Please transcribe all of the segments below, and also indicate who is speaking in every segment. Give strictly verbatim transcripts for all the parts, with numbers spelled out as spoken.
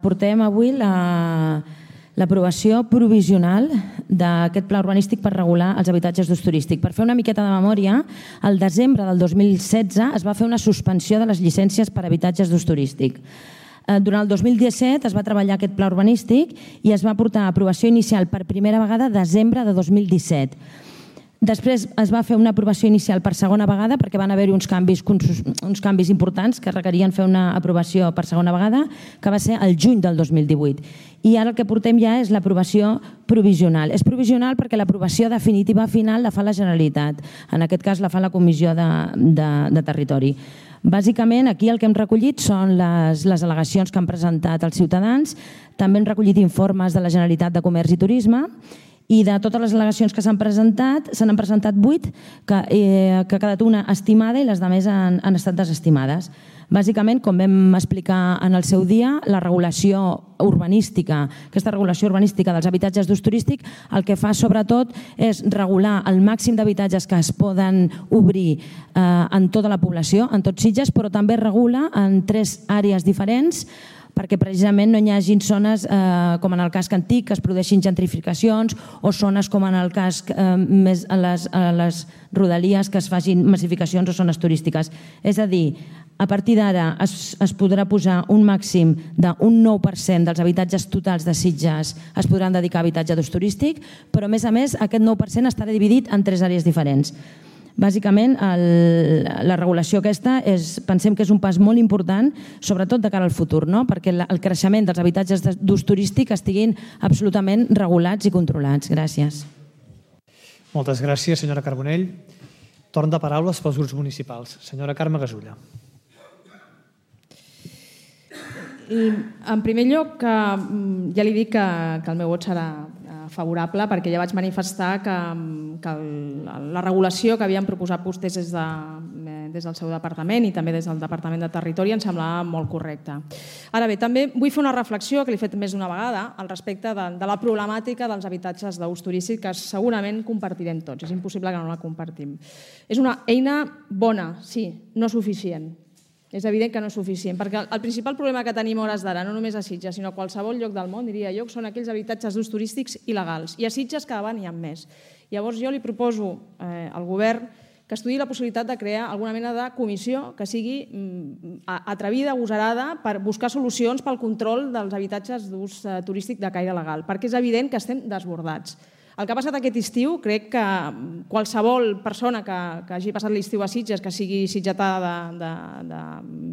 Speaker 1: Portem avui l'aprovació provisional d'aquest pla urbanístic per regular els habitatges d'ús turístic. Per fer una miqueta de memòria, al desembre del dos mil setze es va fer una suspensió de les llicències per habitatges d'ús turístic. Durant el dos mil disset es va treballar aquest pla urbanístic i es va portar a aprovació inicial per primera vegada a desembre de dos mil disset. Després es va fer una aprovació inicial per segona vegada perquè van haver-hi uns canvis, uns canvis importants que requerien fer una aprovació per segona vegada, que va ser el juny del dos mil divuit. I ara el que portem ja és l'aprovació provisional. És provisional perquè l'aprovació definitiva final la fa la Generalitat. En aquest cas la fa la Comissió de, de, de Territori. Bàsicament, aquí el que hem recollit són les, les al·legacions que han presentat els ciutadans. També hem recollit informes de la Generalitat de Comerç i Turisme. I de totes les al·legacions que s'han presentat, se n'han presentat vuit, que, eh, que ha quedat una estimada i les altres han, han estat desestimades. Bàsicament, com vam explicar en el seu dia, la regulació urbanística, aquesta regulació urbanística dels habitatges d'ús turístic, el que fa sobretot és regular el màxim d'habitatges que es poden obrir eh, en tota la població, en tots Sitges, però també regula en tres àrees diferents, perquè precisament no hi hagi zones, eh, com en el casc antic, que es produeixin gentrificacions, o zones com en el casc eh, més a les, a les rodalies que es facin massificacions o zones turístiques. És a dir, a partir d'ara es, es podrà posar un màxim d'un nou per cent dels habitatges totals de Sitges es podran dedicar a habitatge d'ús turístic, però a més a més aquest nou per cent estarà dividit en tres àrees diferents. Bàsicament, el, la regulació aquesta és, pensem que és un pas molt important, sobretot de cara al futur, no? Perquè la, el creixement dels habitatges d'ús turístic estiguin absolutament regulats i controlats. Gràcies.
Speaker 2: Moltes gràcies, senyora Carbonell. Torn de paraules pels grups municipals. Senyora Carme Gasulla.
Speaker 3: En primer lloc, ja li dic que, que el meu vot serà favorable perquè ja vaig manifestar que, que el, la regulació que havien proposat vostès des, de, des del seu departament i també des del Departament de Territori em semblava molt correcta. Ara bé, també vull fer una reflexió que l'he fet més d'una vegada al respecte de, de la problemàtica dels habitatges d'ús turístic que segurament compartirem tots. És impossible que no la compartim. És una eina bona, sí, no suficient. És evident que no és suficient, perquè el principal problema que tenim a hores d'ara, no només a Sitges, sinó a qualsevol lloc del món, diria jo, són aquells habitatges d'ús turístics il·legals. I a Sitges cada vegada n'hi ha més. Llavors jo li proposo eh, al govern que estudiï la possibilitat de crear alguna mena de comissió que sigui mm, atrevida, agosarada, per buscar solucions pel control dels habitatges d'ús eh, turístic de caire legal, perquè és evident que estem desbordats. El que ha passat aquest estiu, crec que qualsevol persona que, que hagi passat l'estiu a Sitges, que sigui sitgetada de, de, de,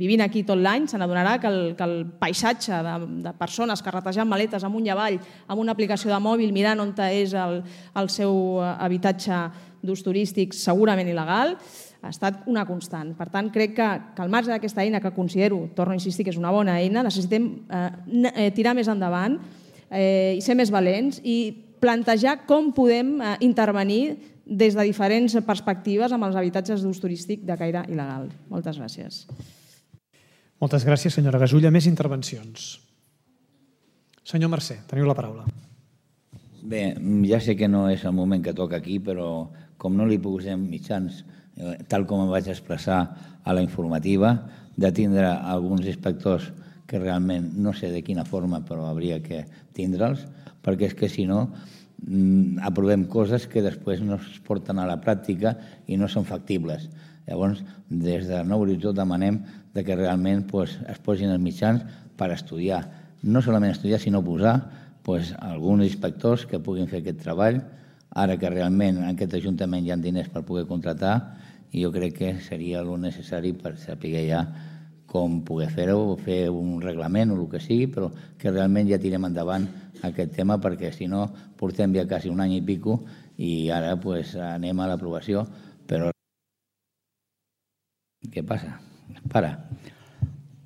Speaker 3: vivint aquí tot l'any, se n'adonarà que, el, que el paisatge de, de persones carretejant maletes amunt i avall amb una aplicació de mòbil mirant on és el, el seu habitatge d'ús turístic segurament il·legal, ha estat una constant. Per tant, crec que, que al marge d'aquesta eina, que considero, torno a insistir, que és una bona eina, necessitem eh, tirar més endavant eh, i ser més valents i plantejar com podem eh, intervenir des de diferents perspectives amb els habitatges d'ús turístic de caire il·legal. Moltes gràcies.
Speaker 2: Moltes gràcies, senyora Gasulla. Més intervencions. Senyor Mercè, teniu la paraula.
Speaker 4: Bé, ja sé que no és el moment que toca aquí, però com no li posem mitjans, eh, tal com em vaig expressar a la informativa, de tindre alguns inspectors que realment no sé de quina forma, però hauria que tindre'ls, perquè és que si no aprovem coses que després no es porten a la pràctica i no són factibles. Llavors, des de Nou Horitzó demanem que realment es posin els mitjans per estudiar. No solament estudiar, sinó posar alguns inspectors que puguin fer aquest treball. Ara que realment en aquest Ajuntament hi ha diners per poder contractar, jo crec que seria el necessari per saber ja com poder fer-ho, fer un reglament o el que sigui, però que realment ja tirem endavant aquest tema, perquè si no portem ja quasi un any i pico i ara pues, anem a l'aprovació, però què passa? Para.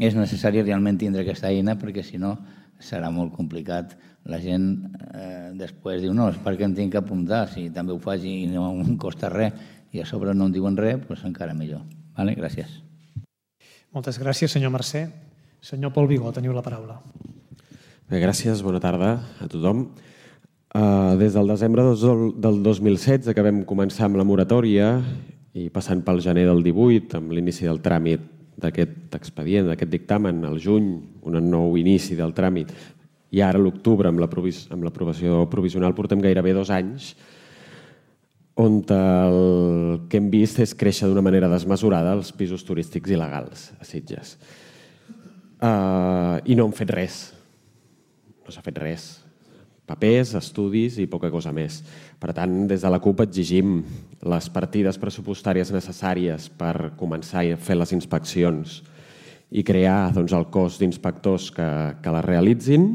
Speaker 4: És necessari realment tindre aquesta eina perquè si no serà molt complicat. La gent eh, després diu no, és perquè em tinc que apuntar, si també ho faig i no em costa res i a sobre no em diuen res, doncs encara millor. Vale? Gràcies.
Speaker 2: Moltes gràcies, senyor Mercè. Senyor Pol Vigó, teniu la paraula.
Speaker 5: Bé, gràcies, bona tarda a tothom. Uh, des del desembre del dos mil setze que vam començar amb la moratòria i passant pel gener del divuit, amb l'inici del tràmit d'aquest expedient, d'aquest dictamen, al juny, un nou inici del tràmit, i ara a l'octubre, amb l'aprovació provisional, portem gairebé dos anys, on el que hem vist és créixer d'una manera desmesurada els pisos turístics il·legals a Sitges. I no hem fet res. No s'ha fet res. Papers, estudis i poca cosa més. Per tant, des de la CUP exigim les partides pressupostàries necessàries per començar a fer les inspeccions i crear el cos d'inspectors que les realitzin,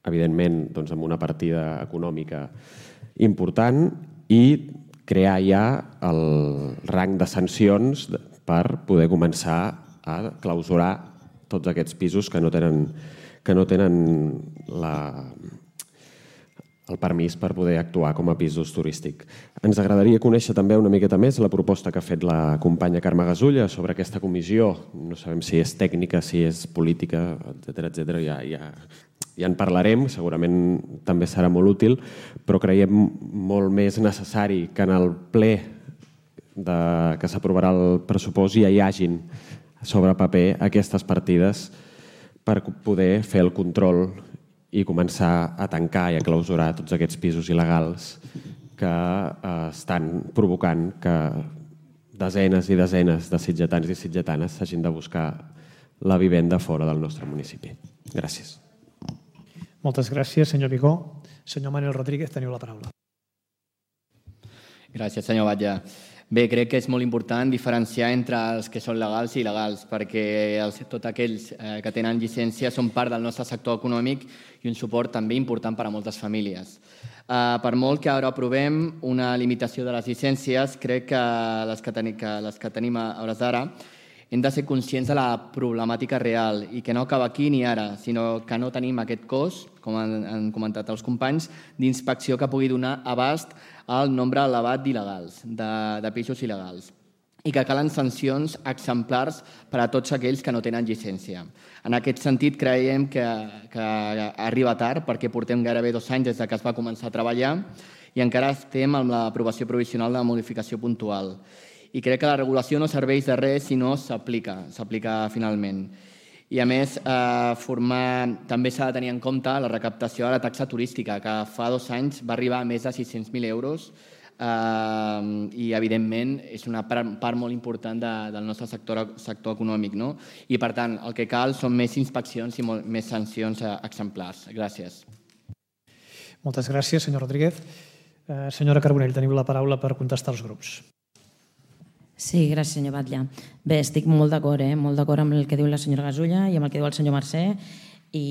Speaker 5: evidentment amb una partida econòmica important, i crear ja el rang de sancions per poder començar a clausurar tots aquests pisos que no tenen que no tenen el permís per poder actuar com a pisos turístics. Ens agradaria conèixer també una miqueta més la proposta que ha fet la companya Carme Gasulla sobre aquesta comissió. No sabem si és tècnica, si és política, etcètera, etcètera. Ja, ja, ja en parlarem, segurament també serà molt útil, però creiem molt més necessari que en el ple de, que s'aprovarà el pressupost ja hi hagin sobre paper aquestes partides per poder fer el control i començar a tancar i a clausurar tots aquests pisos il·legals que eh, estan provocant que desenes i desenes de sitgetans i sitgetanes s'hagin de buscar la vivenda fora del nostre municipi. Gràcies.
Speaker 2: Moltes gràcies, senyor Vigó. Senyor Manuel Rodríguez, teniu la paraula.
Speaker 6: Gràcies, senyor Batlle. Bé, crec que és molt important diferenciar entre els que són legals i il·legals, perquè els, tots aquells eh, que tenen llicència són part del nostre sector econòmic i un suport també important per a moltes famílies. Eh, per molt que ara aprovem una limitació de les llicències, crec que les que, ten que, les que tenim a hores d'ara hem de ser conscients de la problemàtica real i que no acaba aquí ni ara, sinó que no tenim aquest cos, com han, han comentat els companys, d'inspecció que pugui donar abast al nombre elevat d'il·legals, de, de pisos il·legals, i que calen sancions exemplars per a tots aquells que no tenen llicència. En aquest sentit, creiem que, que arriba tard, perquè portem gairebé dos anys des que es va començar a treballar i encara estem amb l'aprovació provisional de la modificació puntual. I crec que la regulació no serveix de res si no s'aplica, s'aplica finalment. I a més, eh, formar, també s'ha de tenir en compte la recaptació de la taxa turística, que fa dos anys va arribar a més de sis-cents mil euros eh, i, evidentment, és una part, part molt important de, del nostre sector, sector econòmic. No? I, per tant, el que cal són més inspeccions i molt, més sancions exemplars. Gràcies.
Speaker 2: Moltes gràcies, senyor Rodríguez. Eh, senyora Carbonell, teniu la paraula per contestar els grups.
Speaker 1: Sí, gràcies, senyor Batlle. Bé, estic molt d'acord, eh? molt d'acord amb el que diu la senyora Gasulla i amb el que diu el senyor Mercè i,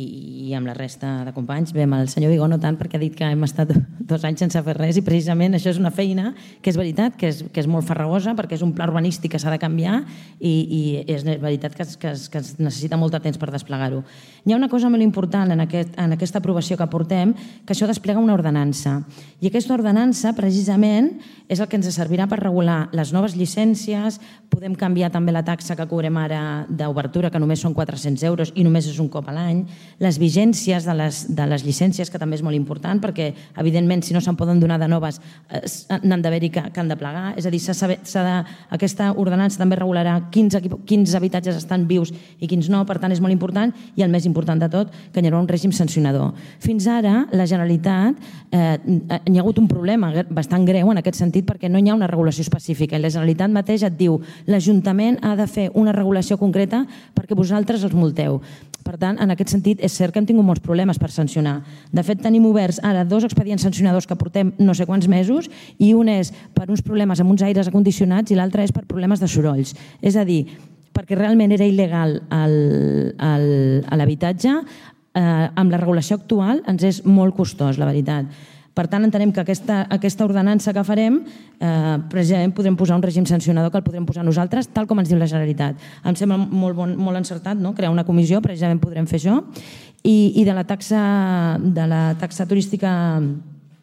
Speaker 1: i amb la resta de companys. Bé, amb el senyor Vigó no tant, perquè ha dit que hem estat dos anys sense fer res i precisament això és una feina que és veritat, que és, que és molt farragosa perquè és un pla urbanístic que s'ha de canviar i, i és veritat que es, que, es, que es necessita molt de temps per desplegar-ho. Hi ha una cosa molt important en, aquest, en aquesta aprovació que portem, que això desplega una ordenança. I aquesta ordenança, precisament, és el que ens servirà per regular les noves llicències, podem canviar també la taxa que cobrem ara d'obertura, que només són quatre-cents euros i només és un cop a l'any, les vigències de les, de les llicències, que també és molt important, perquè, evidentment, si no se'n poden donar de noves, eh, n'han d'haver-hi que, que han de plegar. És a dir, s'ha de, aquesta ordenança també regularà quins, quins habitatges estan vius i quins no, per tant, és molt important, i el més important de tot, que hi haurà un règim sancionador. Fins ara, la Generalitat, eh, hi ha hagut un problema bastant greu en aquest sentit, perquè no hi ha una regulació específica, i la Generalitat mateix et diu l'Ajuntament ha de fer una regulació concreta perquè vosaltres els multeu. Per tant, en aquest sentit, és cert que hem tingut molts problemes per sancionar. De fet, tenim oberts ara dos expedients sancionadors que portem no sé quants mesos, i un és per uns problemes amb uns aires acondicionats i l'altre és per problemes de sorolls. És a dir, perquè realment era il·legal l'habitatge, eh, amb la regulació actual ens és molt costós, la veritat. Per tant, entenem que aquesta, aquesta ordenança que farem, eh, precisament podrem posar un règim sancionador que el podrem posar nosaltres, tal com ens diu la Generalitat. Em sembla molt, bon, molt encertat, no? Crear una comissió, precisament podrem fer això. I, i de la taxa, de la taxa turística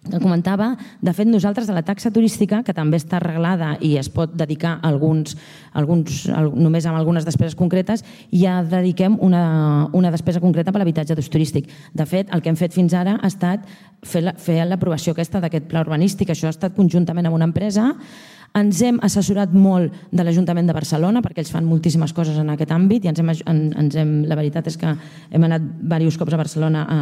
Speaker 1: que comentava, de fet, nosaltres de la taxa turística, que també està arreglada i es pot dedicar a alguns, alguns, només amb algunes despeses concretes, ja dediquem una, una despesa concreta per l'habitatge d'ús turístic. De fet, el que hem fet fins ara ha estat fer l'aprovació aquesta d'aquest pla urbanístic. Això ha estat conjuntament amb una empresa Ens hem assessorat molt de l'Ajuntament de Barcelona perquè ells fan moltíssimes coses en aquest àmbit i ens hem, ens hem, la veritat és que hem anat diversos cops a Barcelona a,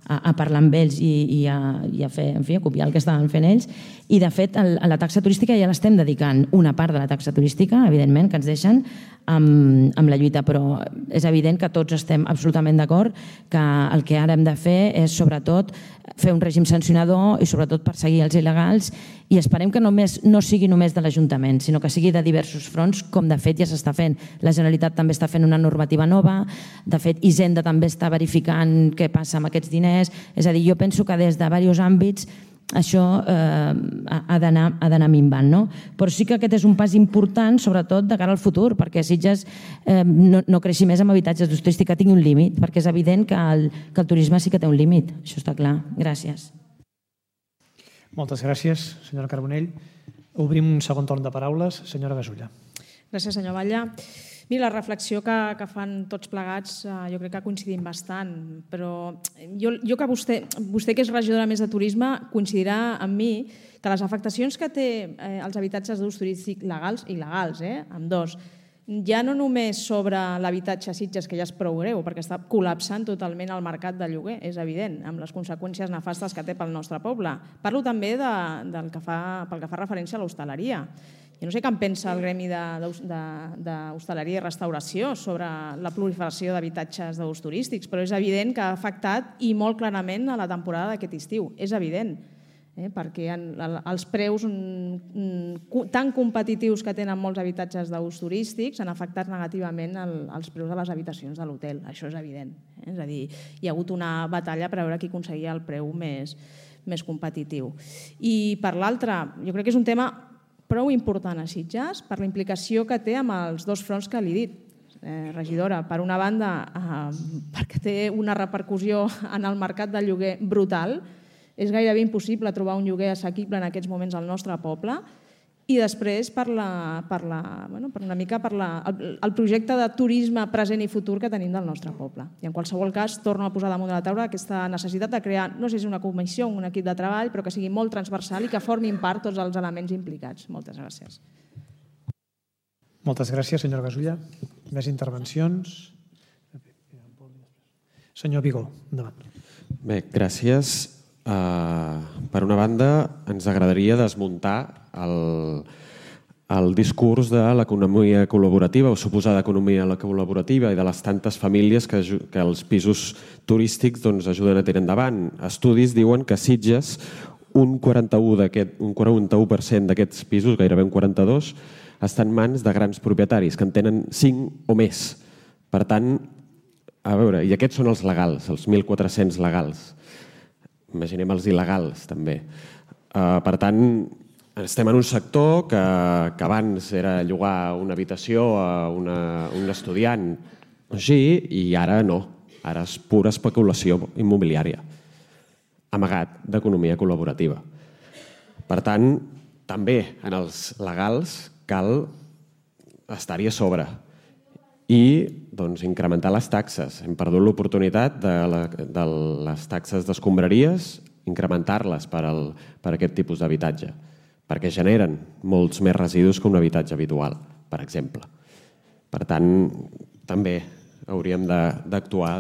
Speaker 1: a, a parlar amb ells i, i, a, i a, fer, en fi, a copiar el que estaven fent ells. I, de fet, el, a la taxa turística ja l'estem dedicant una part de la taxa turística, evidentment, que ens deixen amb, amb la lluita, però és evident que tots estem absolutament d'acord que el que ara hem de fer és, sobretot, fer un règim sancionador i, sobretot, perseguir els il·legals i esperem que només, no sigui només de l'Ajuntament, sinó que sigui de diversos fronts, com de fet ja s'està fent. La Generalitat també està fent una normativa nova, de fet, Hisenda també està verificant què passa amb aquests diners, és a dir, jo penso que des de diversos àmbits això eh, ha d'anar minvant, no? Però sí que aquest és un pas important, sobretot de cara al futur, perquè Sitges eh, no, no creixi més amb habitatges d'ús turístic, que tingui un límit, perquè és evident que el, que el turisme sí que té un límit, això està clar. Gràcies.
Speaker 2: Moltes gràcies, senyora Carbonell. Obrim un segon torn de paraules. Senyora Gasulla.
Speaker 3: Gràcies, senyor Batlle. Mira, la reflexió que, que fan tots plegats eh, jo crec que coincidim bastant, però jo, jo que vostè, vostè que és regidora més de turisme, coincidirà amb mi que les afectacions que té eh, els habitatges d'ús turístic legals i il·legals, eh, amb dos, ja no només sobre l'habitatge a Sitges, que ja és prou greu, perquè està col·lapsant totalment el mercat de lloguer, és evident, amb les conseqüències nefastes que té pel nostre poble. Parlo també de, del que fa, pel que fa referència a l'hostaleria. Jo no sé què en pensa el gremi d'hostaleria i restauració sobre la proliferació d'habitatges d'ús turístics, però és evident que ha afectat i molt clarament a la temporada d'aquest estiu. És evident, eh? perquè els preus tan competitius que tenen molts habitatges d'ús turístics han afectat negativament els preus de les habitacions de l'hotel. Això és evident. Eh? És a dir, hi ha hagut una batalla per veure qui aconseguia el preu més, més competitiu. I per l'altre, jo crec que és un tema prou important a Sitges per la implicació que té amb els dos fronts que li he dit, eh, regidora. Per una banda, eh, perquè té una repercussió en el mercat del lloguer brutal, és gairebé impossible trobar un lloguer assequible en aquests moments al nostre poble, i després per, la, per, la, bueno, per una mica per la, el, el projecte de turisme present i futur que tenim del nostre poble. I en qualsevol cas, torno a posar damunt de la taula aquesta necessitat de crear, no sé si una comissió o un equip de treball, però que sigui molt transversal i que formin part tots els elements implicats. Moltes gràcies.
Speaker 2: Moltes gràcies, senyora Gasulla. Més intervencions? Senyor Vigó, endavant.
Speaker 5: Bé, gràcies. Uh, per una banda, ens agradaria desmuntar el, el discurs de l'economia col·laborativa o suposada economia col·laborativa i de les tantes famílies que, que els pisos turístics doncs, ajuden a tirar endavant. Estudis diuen que a Sitges un quaranta-u per cent d'aquests pisos, gairebé un quaranta-dos per cent, estan en mans de grans propietaris que en tenen cinc o més. Per tant, a veure, i aquests són els legals, els mil quatre-cents legals. Imaginem els il·legals, també. Uh, per tant, estem en un sector que, que abans era llogar una habitació a una, un estudiant així, i ara no. Ara és pura especulació immobiliària, amagat d'economia col·laborativa. Per tant, també en els legals cal estar-hi a sobre i doncs, incrementar les taxes. Hem perdut l'oportunitat de, la, de les taxes d'escombraries, incrementar-les per, al, per aquest tipus d'habitatge, perquè generen molts més residus que un habitatge habitual, per exemple. Per tant, també hauríem d'actuar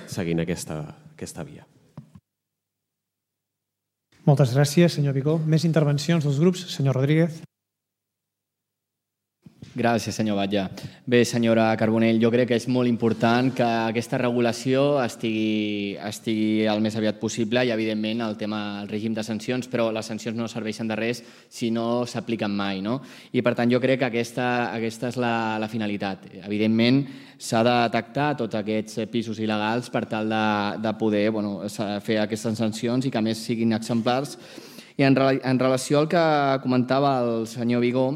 Speaker 5: seguint aquesta, aquesta via.
Speaker 2: Moltes gràcies, senyor Vigó. Més intervencions dels grups? Senyor Rodríguez.
Speaker 6: Gràcies, senyor Batlle. Bé, senyora Carbonell, jo crec que és molt important que aquesta regulació estigui, estigui el més aviat possible i, evidentment, el tema el règim de sancions, però les sancions no serveixen de res si no s'apliquen mai, no? I, per tant, jo crec que aquesta, aquesta és la, la finalitat. Evidentment, s'ha de detectar tots aquests pisos il·legals per tal de, de poder bueno, fer aquestes sancions i que, a més, siguin exemplars. I en, en relació al que comentava el senyor Vigó,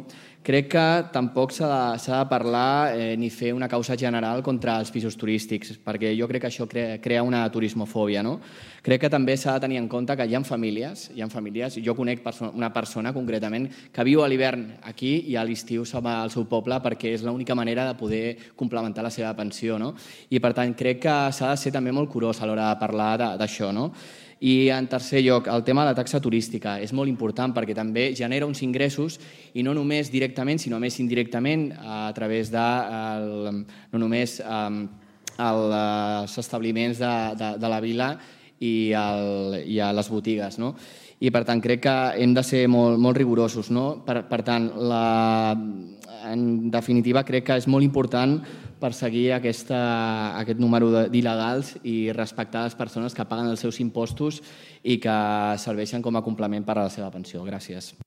Speaker 6: crec que tampoc s'ha de, s'ha de parlar eh, ni fer una causa general contra els pisos turístics, perquè jo crec que això crea, crea una turismofòbia, no? Crec que també s'ha de tenir en compte que hi ha famílies, hi ha famílies, jo conec perso- una persona concretament que viu a l'hivern aquí i a l'estiu se'n va al seu poble perquè és l'única manera de poder complementar la seva pensió, no? I per tant crec que s'ha de ser també molt curós a l'hora de parlar de, d'això, no? I en tercer lloc, el tema de la taxa turística és molt important perquè també genera uns ingressos i no només directament, sinó més indirectament a través de el, no només um, el, els establiments de, de, de la vila i, el, i a les botigues, no? I per tant crec que hem de ser molt, molt rigorosos, no? Per, per tant, la, en definitiva crec que és molt important perseguir aquesta, aquest número d'il·legals i respectar les persones que paguen els seus impostos i que serveixen com a complement per a la seva pensió. Gràcies.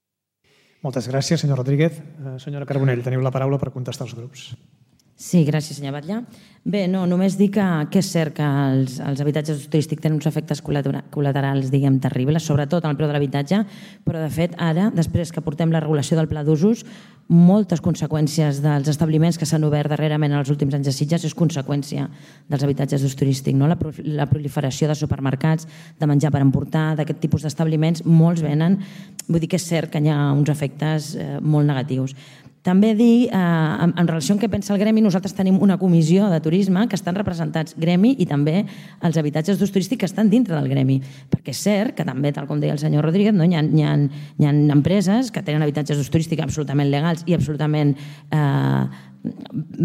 Speaker 2: Moltes gràcies, senyor Rodríguez. Senyora Carbonell, teniu la paraula per contestar els grups.
Speaker 1: Sí, gràcies, senyor Batlle. Bé, no, només dir que, que és cert que els, els habitatges d'ús turístic tenen uns efectes col·laterals, diguem, terribles, sobretot en el preu de l'habitatge, però de fet ara, després que portem la regulació del pla d'usos, moltes conseqüències dels establiments que s'han obert darrerament en els últims anys a Sitges és conseqüència dels habitatges d'ús turístic, no? La, la proliferació de supermercats, de menjar per emportar, d'aquest tipus d'establiments, molts venen, vull dir que és cert que hi ha uns efectes eh, molt negatius. També dir, eh, en, en relació amb què pensa el gremi, nosaltres tenim una comissió de turisme que estan representats gremi i també els habitatges d'ús turístic que estan dintre del gremi. Perquè és cert que també, tal com deia el senyor Rodríguez, no, hi, ha, hi, ha, hi ha empreses que tenen habitatges d'ús turístic absolutament legals i absolutament eh,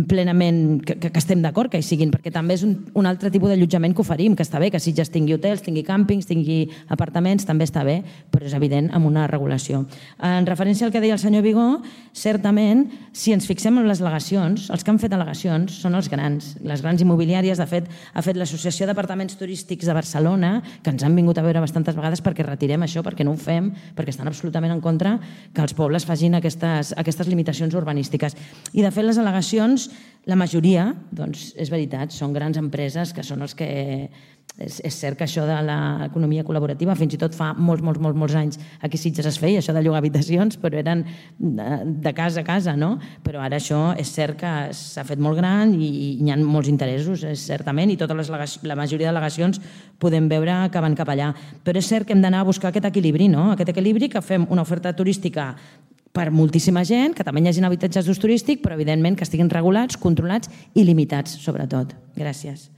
Speaker 1: plenament que, que estem d'acord que hi siguin, perquè també és un, un altre tipus d'allotjament que oferim, que està bé, que Sitges tingui hotels, tingui càmpings, tingui apartaments, també està bé, però és evident amb una regulació. En referència al que deia el senyor Vigó, certament, si ens fixem en les al·legacions, els que han fet al·legacions són els grans, les grans immobiliàries. De fet, ha fet l'Associació d'Apartaments Turístics de Barcelona, que ens han vingut a veure bastantes vegades perquè retirem això, perquè no ho fem, perquè estan absolutament en contra que els pobles facin aquestes, aquestes limitacions urbanístiques. I de fet, les al·legacions, la majoria, doncs, és veritat, són grans empreses que són els que... És, és cert que això de l'economia col·laborativa fins i tot fa molts, molts, molts, molts anys aquí a Sitges es feia, això de llogar habitacions, però eren de, de casa a casa, no? Però ara això és cert que s'ha fet molt gran i, i hi ha molts interessos, és certament, i totes les, la majoria d'al·legacions podem veure que van cap allà. Però és cert que hem d'anar a buscar aquest equilibri, no? Aquest equilibri que fem una oferta turística per moltíssima gent, que també hi hagi habitatges d'ús turístic, però evidentment que estiguin regulats, controlats i limitats, sobretot. Gràcies.